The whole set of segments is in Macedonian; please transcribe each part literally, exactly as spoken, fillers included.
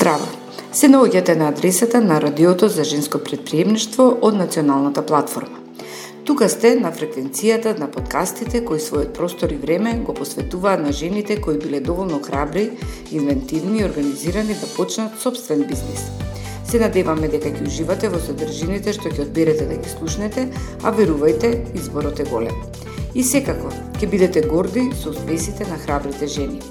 Здраво! Се наоѓате на адресата на Радиото за женско претприемништво од Националната платформа. Тука сте на фреквенцијата на подкастите кои својот простор и време го посветуваат на жените кои биле доволно храбри, инвентивни и организирани да почнат собствен бизнис. Се надеваме дека ќе уживате во содржините што ќе одберете да ги слушнете, а верувајте, изборот е голем. И секако, ќе бидете горди со успесите на храбрите жени.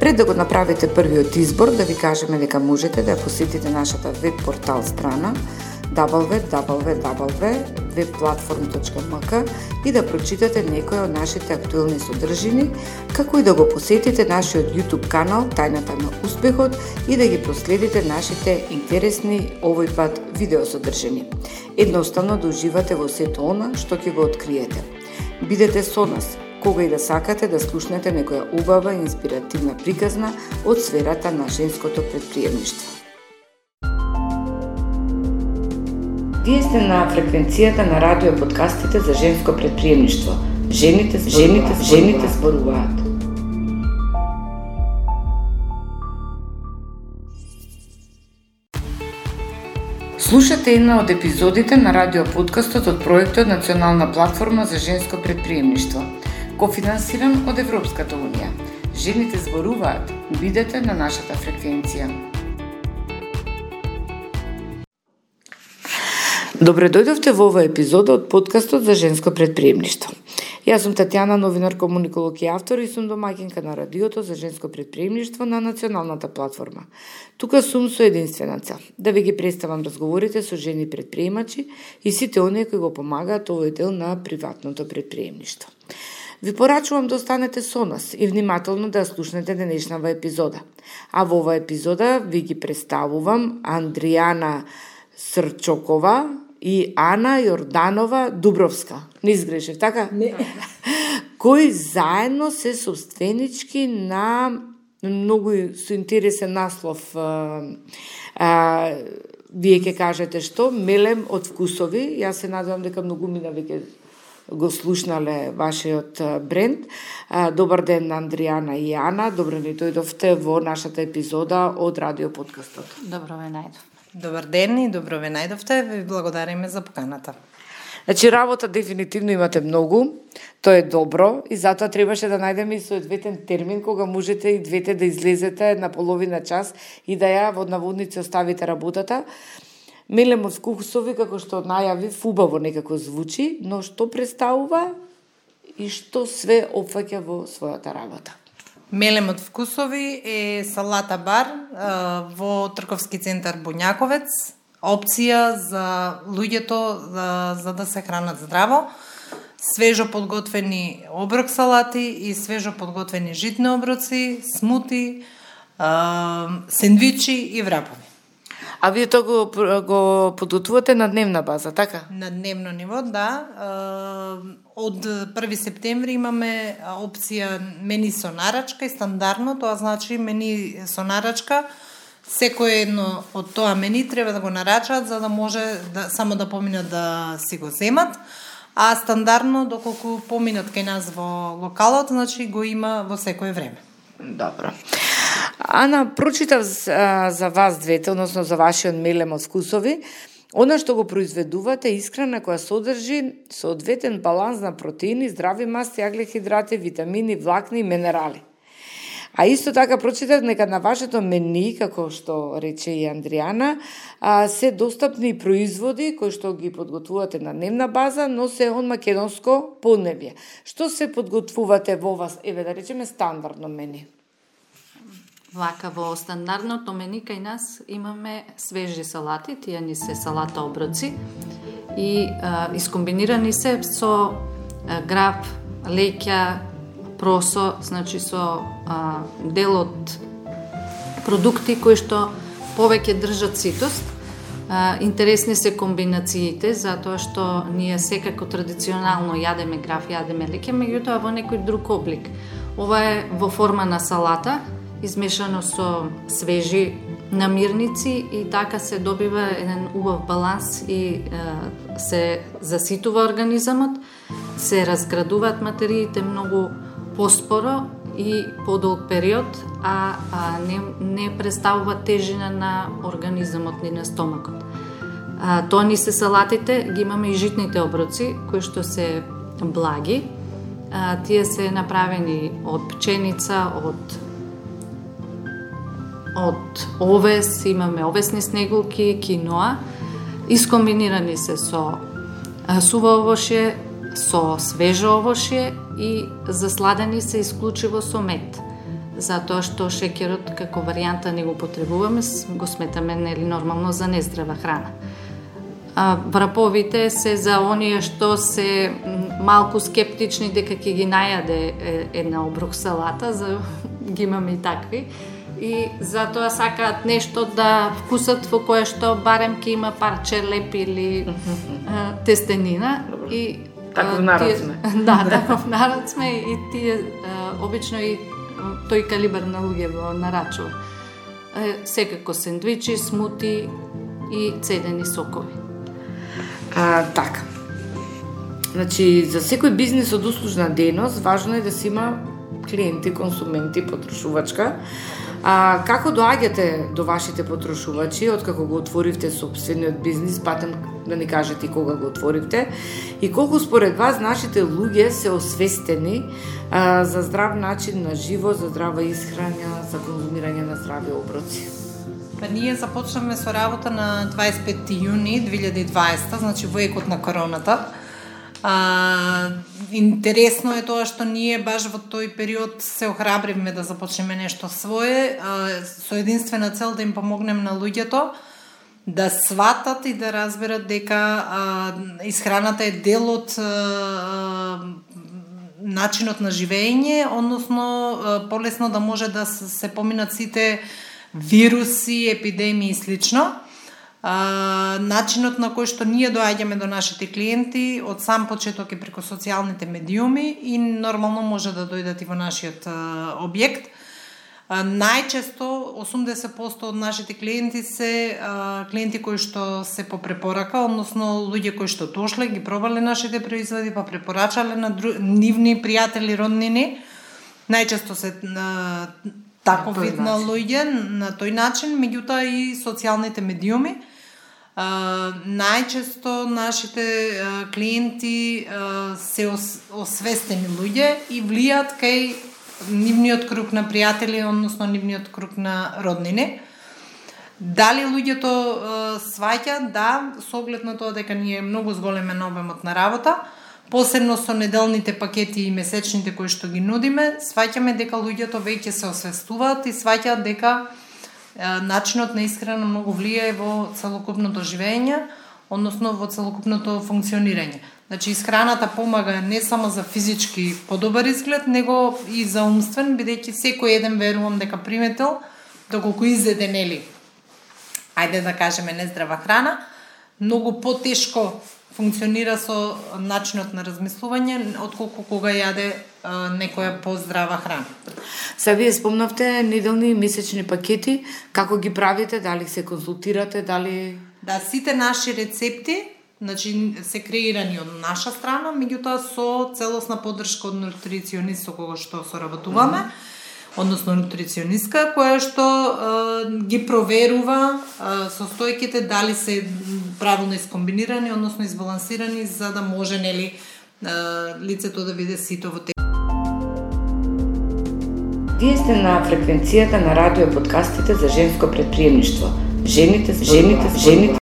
Пред да го направите првиот избор, да ви кажеме дека можете да посетите нашата веб портал страна дабл ю дабл ю дабл ю точка веб платформ точка ем ка и да прочитате некои од нашите актуелни содржини, како и да го посетите нашиот YouTube канал Тајната на успехот и да ги проследите нашите интересни овој пат видеосодржини. Едноставно да уживате во сето она што ќе го откриете. Бидете со нас кога и да сакате да слушнете некоја убава и инспиративна приказна од сферата на женското претприемништво. Вие сте на фреквенцијата на радио подкастите за женско претприемништво. Жените, жените, жените зборуваат. Слушате една од епизодите на радио подкастот од проектот Национална платформа за женско претприемништво, кофинансиран од Европската унија. Жените зборуваат. Бидете на нашата фреквенција. Добре дојдовте во оваа епизода од подкастот за женско претприемништво. Јас сум Татјана, новинар, комуниколог и автор и сум домаќинка на Радиото за женско претприемништво на Националната платформа. Тука сум со единствена цел да ви ги представам разговорите со жени претприемачи и сите оние кои го помагаат овој дел на приватното претприемништво. Ви порачувам да останете со нас и внимателно да слушнете денешнава епизода. А во оваа епизода ви ги представувам Андријана Срчокова и Ана Јорданова Дубровска. Не изгрешив, така? Не. Кои заедно се собственички на многу со интересен наслов. А, а, вие ќе кажете што? Мелем од вкусови. Јас се надевам дека многумина веќе го слушнале вашиот бренд. А, добар ден, Андријана и Ана. Добро ни дојдовте во нашата епизода од Радио подкастот. Добро ве најдов. Добар ден и добро ве најдовте. Ви благодариме за поканата. Значи, работа дефинитивно имате многу, тоа е добро и затоа требаше да најдеме и соодветен термин кога можете и двете да излезете на половина час и да ја во наводници оставите работата. Мелем од вкусови, како што најави, убаво некако звучи, но што представува и што све опфаќа во својата работа? Мелем од вкусови е салата бар во трговски центар Бунјаковец, опција за луѓето за, за да се хранат здраво, свежо подготвени оброк салати и свежо подготвени житни оброци, смути, сендвичи и врапови. А вие тоа го, го подготвувате на дневна база, така? На дневно ниво, да. Од први септември имаме опција мени со нарачка и стандардно, тоа значи мени со нарачка. Секој едно од тоа мени треба да го нарачат за да може да, само да поминат да си го земат. А стандардно, доколку поминат кај нас во локалот, значи го има во секое време. Добро. Ана, прочитав за, за вас двете, односно за вашиот мелем од вкусови. Она што го произведувате е исхрана која содржи соодветен баланс на протеини, здрави масти, аглехидрати, витамини, влакни и минерали. А исто така прочитав дека на вашето мени, како што рече и Андријана, се достапни производи кои што ги подготвувате на дневна база, но се од македонско поднебје. Што се подготвувате во вас, еве да речеме стандардно мени? Вака, во стандардното мени кај нас имаме свежи салати, тие ни се салата оброци и а, искомбинирани се со а, граб, леќа, просо, значи со а, дел од продукти кои што повеќе држат ситост. А, интересни се комбинациите, затоа што ние секако традиционално јадеме граф, јадеме леќа, меѓутоа во некој друг облик. Ова е во форма на салата, измешано со свежи намирници и така се добива еден убав баланс и е, се заситува организамот, се разградуваат материите многу поспоро и подолг период, а, а не, не представува тежина на организмот ни, на стомакот. А, тоа ни се салатите, ги имаме и житните оброци, кои што се благи. А, тие се направени од пченица, од од овес, имаме овесни снегулки, киноа, искомбинирани се со суво овошје, со свежо овошје и засладени се исклучиво со мед. Затоа што шеќерот како варијанта не го потребуваме, го сметаме нели нормално за нездрава храна. А, враповите се за оние што се малку скептични дека ќе ги најаде една обрух салата, за ги имаме и такви. И затоа сакаат нешто да вкусат во кое што барем ќе има парче леп или а, тестенина. И таков народ сме. Да, таков народ сме и тие а, обично и тој калибар на луѓе во нарачува. А, секако сендвичи, смути и цедени сокови. А, така. Значи, за секој бизнес од услужна дејност важно е да се има клиенти, консументи, потрошувачка. А како доаѓате до вашите потрошувачи, откако го отворивте сопствениот бизнис, патем да ни кажете кога го отворивте, и колку според вас нашите луѓе се освестени а, за здрав начин на живот, за здрава исхрана, за конзумирање на здрави оброци? Па ние започнавме со работа на дваесет и петти јуни две илјади и дваесета, значи во екот на короната. А, интересно е тоа што ние баш во тој период се охрабривме да започнеме нешто свое, а, со единствена цел да им помогнем на луѓето да сватат и да разберат дека а, исхраната е дел од а, начинот на живење, односно а, полесно да може да се поминат сите вируси, епидемии и слично. А, начинот на кој што ние доаѓаме до нашите клиенти од сам почеток е преку социјалните медиуми и нормално може да дојдат и во нашиот а, објект. А, најчесто осумдесет проценти од нашите клиенти се а, клиенти кои што се по препорака, односно луѓе кои што дошле, ги пробале нашите производи, па препорачале на дру... нивни пријатели, роднини. Најчесто се а, таков вид на луѓе на тој начин, меѓутоа и социјалните медиуми. Uh, најчесто нашите uh, клиенти uh, се ос, освестени луѓе и влијат кај нивниот круг на пријатели, односно нивниот круг на роднини. Дали луѓето uh, сваќа? Да, со оглед на тоа дека ние многу зголемен обемот на работа, посебно со неделните пакети и месечните кои што ги нудиме, сваќаме дека луѓето веќе се освестуваат и сваќаат дека начинот на исхрана многу влијае во целокупното живење, односно во целокупното функционирање. Значи, исхраната помага не само за физички подобар изглед, него и за умствен, бидејќи секој еден, верувам дека приметил, доколку изеде, нели, ајде да кажеме нездрава храна, многу потешко функционира со начинот на размислување, отколку кога јаде а, некоја поздрава храна. Се вие спомнавте неделни и месечни пакети, како ги правите, дали се консултирате, дали... Да, сите наши рецепти, значи, се креирани од наша страна, меѓутоа со целосна поддршка од нутриционист со кого што соработуваме, mm -hmm. односно нутриционистка, која што е, ги проверува е, состојките дали се правилно искомбинирани, односно избалансирани, за да може, нели, е, лицето да биде сито во те. Вие сте на фреквенцијата на радио подкастите за женско предприемништво. Жените, жените, жените.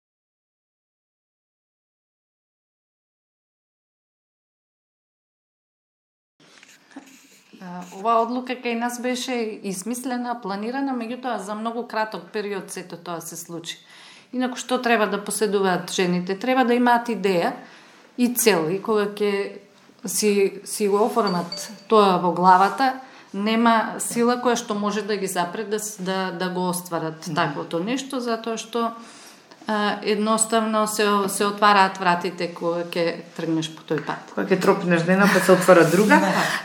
Оваа одлука кај нас беше измислена, планирана, меѓутоа за многу краток период сето тоа се случи. Инаку што треба да поседуваат жените? Треба да имаат идеја и цел, и кога ќе си, си го оформат тоа во главата, нема сила која што може да ги запре да, да, да го остварат mm. таквото нешто, затоа што а, едноставно се, се отвараат вратите кога ќе тргнеш по тој пат. Кога ќе тропнеш дена, па се отвара друга.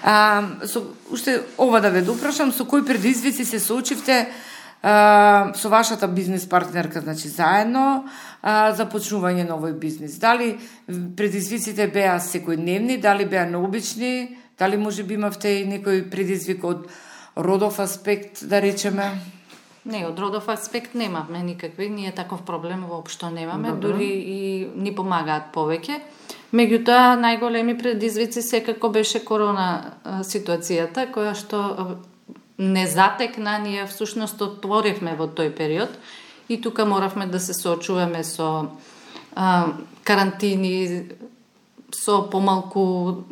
а, со, уште ова да ве допрашам, со кои предизвици се соочивте а, со вашата бизнес партнерка, значи заедно, а, започнување на овој бизнес? Дали предизвиците беа секојдневни, дали беа необични, Дали може би имавте и некој предизвик од родов аспект, да речеме? Не, од родов аспект немавме никакви, ние таков проблем воопшто немаме, Добро. дури и ни помагаат повеќе. Меѓутоа, најголеми предизвици секако беше корона ситуацијата, која што не затекна, ние всушност отворивме во тој период и тука моравме да се соочуваме со а, карантини, со помалку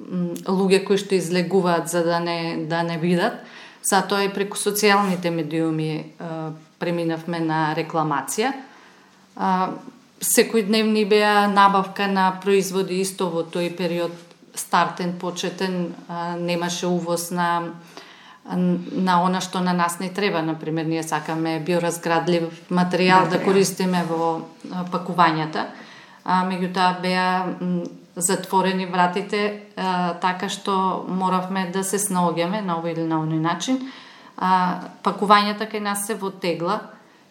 луѓе кои што излегуваат за да не, да не видат. Затоа и преку социјалните медиуми а, преминавме на рекламација. А, секојдневни беа набавка на производи исто во тој период, стартен, почетен, а, немаше увоз на на она што на нас не треба. Например, ние сакаме биоразградлив материјал да користиме во пакувањата, а меѓутоа беа затворени вратите, а, така што моравме да се снаоѓаме на овој или на оној начин. А, пакувањата кај нас се во тегла,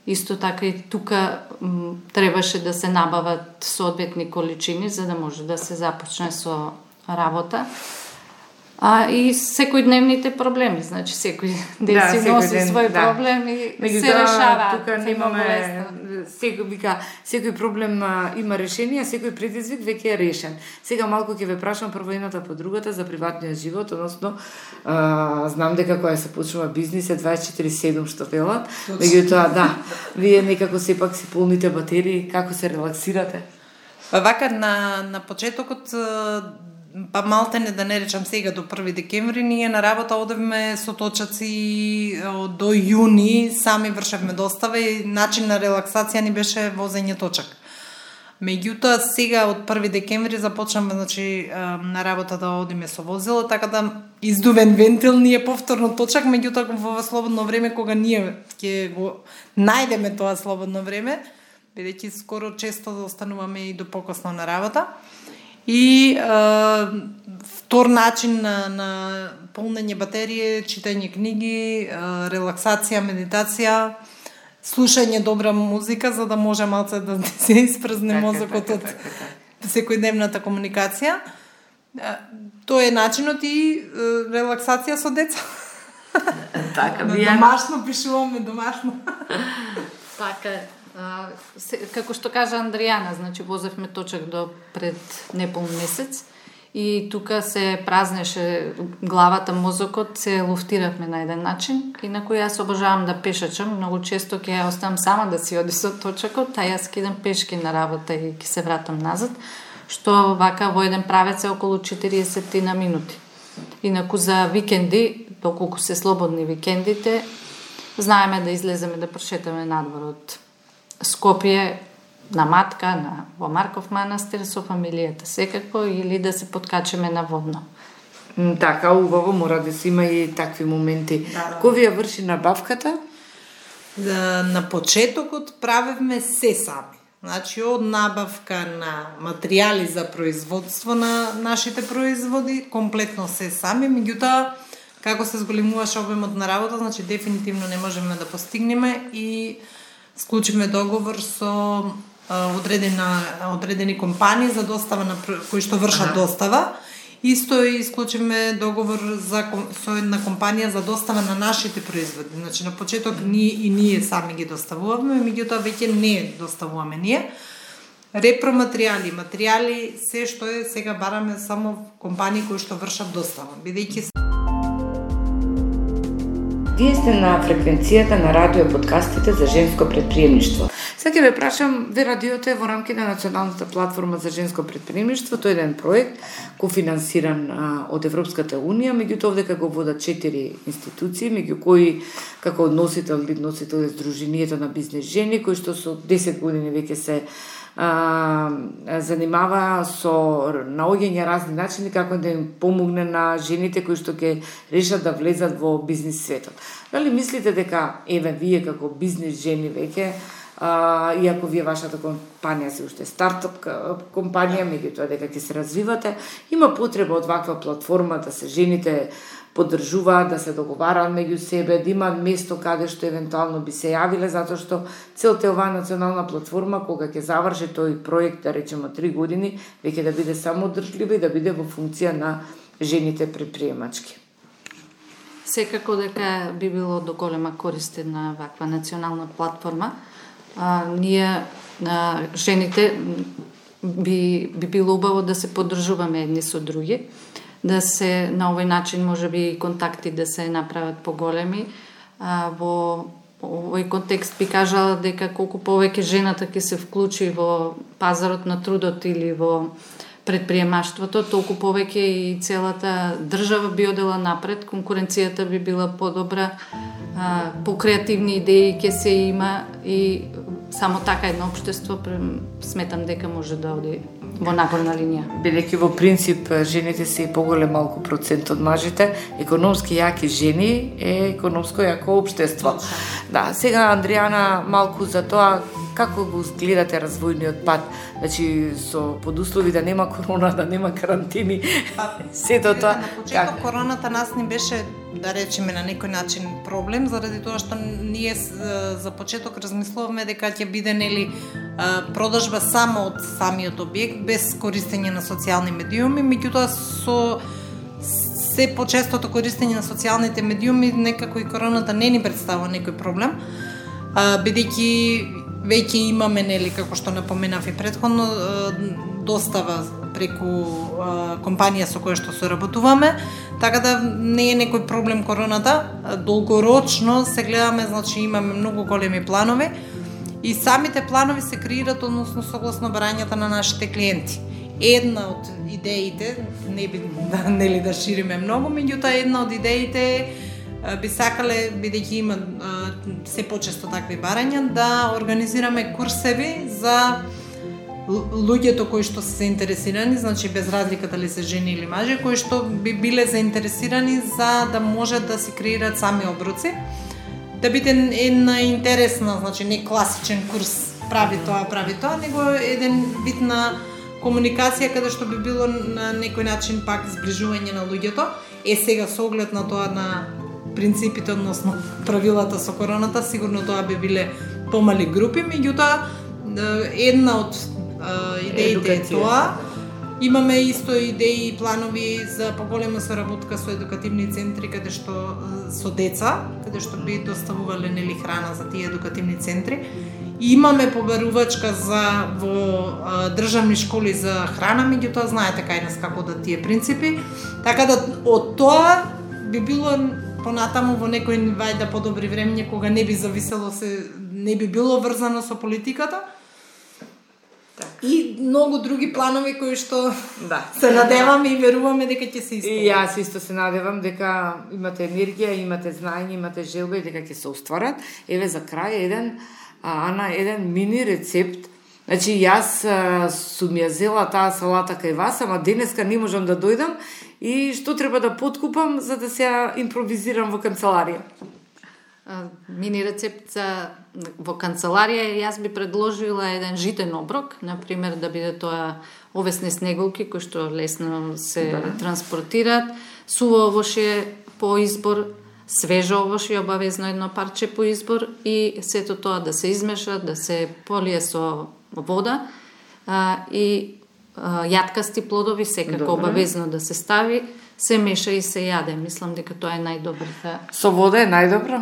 исто така и тука м, требаше да се набават соодветни количини за да може да се започне со работа. А, и секојдневните проблеми, значи секој ден Да, си секој носи ден, свој да. проблем и Меѓутоа, се решава. тука немаме секој вика, секој проблем а, има решение, а секој предизвик веќе е решен. Сега малку ќе ве прашам прво едната по другата за приватниот живот, односно а, знам дека кога се почнува бизнис е дваесет и четири седум што велат. Меѓутоа, да, вие некако сепак си полните батерии, како се релаксирате? Па вака на на почетокот, па малтене да не речам сега до први декември, ние на работа одевме со точаци до јуни, сами вршевме достава и начин на релаксација ни беше возење точак. Меѓутоа сега од први декември започнаме, значи, на работа да одиме со возило, така да издувен вентил ни е повторно точак, меѓутоа во слободно време кога ние ќе го најдеме тоа слободно време, бидејќи скоро често да остануваме и до покосно на работа. И е, втор начин на, на полнење батерije, читање книги, е, релаксација, медитација, слушање добра музика за да може малце да се испразне така, мозокот така, од така, така. секојдневната комуникација. Е, Тоа е начинот и е, релаксација со деца. Така, Домашно пишуваме, домашно. Така, а, се, како што кажа Андријана, значи возевме точак до пред непол месец и тука се празнеше главата, мозокот, се луфтиравме на еден начин. Инаку јас обожавам да пешачам, многу често ќе ја оставам сама да си оди со точакот, а јас кидам пешки на работа и ќе се вратам назад, што вака во еден правец е околу четириесет на минути. Инаку за викенди, доколку се слободни викендите, знаеме да излеземе да прошетаме надвор од Скопје на Матка, на во Марков манастир со фамилијата секако, или да се подкачеме на Водно. М, Така, убаво, мора да се има и такви моменти. Да, да. Кој ви ја врши набавката? Да, на почетокот правевме се сами. Значи, од набавка на материјали за производство на нашите производи, комплетно се сами, меѓутоа, како се зголемуваше обемот на работа, значи дефинитивно не можеме да постигнеме и склучиме договор со а, одредена, одредени компании за достава на кои што вршат ага. достава. Исто и исклучиме договор за, со една компанија за достава на нашите производи. Значи на почеток ние и ние сами ги доставуваме, меѓутоа веќе не доставуваме ние. Репроматеријали, материјали, се што е сега бараме само компании кои што вршат достава, бидејќи Вие сте на фреквенцијата на радио подкастите за женско предприемништво. Сега ќе ве прашам, ве радиото е во рамките на Националната платформа за женско предприемништво, тоа е еден проект кофинансиран а, од Европската унија, меѓутоа овдека го водат четири институции, меѓу кои како односител или носител е Сдруженијето на бизнес жени, кои што со десет години веќе се а, занимава со наоѓање разни начини како да им помогне на жените кои што ќе решат да влезат во бизнис светот. Дали мислите дека еве вие како бизнис жени веќе, а, иако вие вашата компанија се уште стартап компанија, меѓутоа дека ќе се развивате, има потреба од ваква платформа да се жените поддржуваат, да се договараат меѓу себе, да имаат место каде што евентуално би се јавиле, затоа што целта е оваа национална платформа, кога ќе заврши тој проект, да речеме три години, веќе да биде самоодржлива и да биде во функција на жените предприемачки. Секако дека би било до голема корист на ваква национална платформа. А, ние, а, жените, би, би било убаво да се поддржуваме едни со други, да се на овој начин може би контакти да се направат поголеми. А, во овој контекст би кажала дека колку повеќе жената ќе се вклучи во пазарот на трудот или во предприемаштвото, толку повеќе и целата држава би одела напред, конкуренцијата би била подобра, по креативни идеи ќе се има и само така едно општество сметам дека може да оди во напорна линија. Бидејќи во принцип жените се и поголем малку процент од мажите, економски јаки жени е економско јако општество. Да, сега Андријана малку за тоа како го гледате развојниот пат, значи со подуслови да нема корона, да нема карантини, па, сето тоа. На почеток как? Короната нас не беше, да речеме на некој начин проблем, заради тоа што ние за почеток размислуваме дека ќе биде нели продажба само од самиот објект без користење на социјални медиуми, меѓутоа со се почестото користење на социјалните медиуми некако и короната не ни представува некој проблем, бидејќи веќе имаме, нели, како што напоменав и претходно, достава преку компанија со која што соработуваме, така да не е некој проблем короната. Долгорочно се гледаме, значи имаме многу големи планови и самите планови се креираат односно согласно барањата на нашите клиенти. Една од идеите, не би нели да шириме многу, меѓутоа една од идеите е би сакале, бидејќи има се почесто такви барања, да организираме курсеви за луѓето кои што се заинтересирани, значи без разлика дали се жени или мажи, кои што би биле заинтересирани за да може да си креираат сами оброци, да биде една интересна, значи не класичен курс прави тоа, прави тоа, него еден вид на комуникација каде што би било на некој начин пак зближување на луѓето. Е сега со оглед на тоа на принципите, односно правилата со короната, сигурно тоа би биле помали групи, меѓутоа една од идеите е тоа. Имаме исто идеи и планови за поголема соработка со едукативни центри каде што со деца, каде што би доставувале нели храна за тие едукативни центри. И имаме побарувачка за во а, државни школи за храна, меѓутоа знаете кај нас како да тие принципи. Така да од тоа би било понатаму во некој вајда подобри времења кога не би зависело се, не би било врзано со политиката. Так. И многу други планови кои што да. Се надеваме и веруваме дека ќе се исполнат. И јас исто се надевам дека имате енергија, имате знаење, имате желба и дека ќе се остварат. Еве за крај еден Ана, еден мини рецепт. Значи, јас сум ја зела таа салата кај вас, ама денеска не можам да дојдам и што треба да подкупам за да се импровизирам во канцеларија? Мини рецепт за во канцеларија, јас би предложила еден житен оброк, например да биде тоа овесни снеголки кои што лесно се да. Транспортираат, суво овошје по избор, свежо овошје, обавезно едно парче по избор и сето тоа да се измеша, да се полие со вода а, и а, јаткасти плодови секако Добре. Обавезно да се стави, се меша и се јаде. Мислам дека тоа е најдобрата. Со вода е најдобро?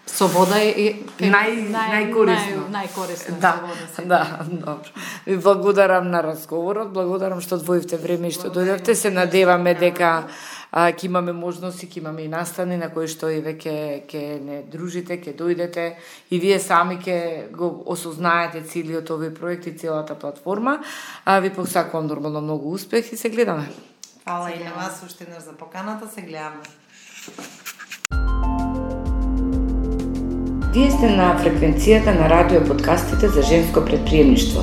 Со вода е нај најкорисно. Нај, најкорисно да, со вода се. Да, добро. Ви благодарам на разговорот, благодарам што одвоивте време и што дојдовте. Се надеваме дека ќе имаме можности, ќе имаме и настани на кои што и веќе ќе не дружите, ќе дојдете и вие сами ќе го осознаете целиот овој проект и целата платформа. А ви посакувам нормално многу успех и се гледаме. Фала и на вас уште еднаш за поканата, се гледаме. Вие сте на фреквенцијата на радио подкастите за женско предприемништво.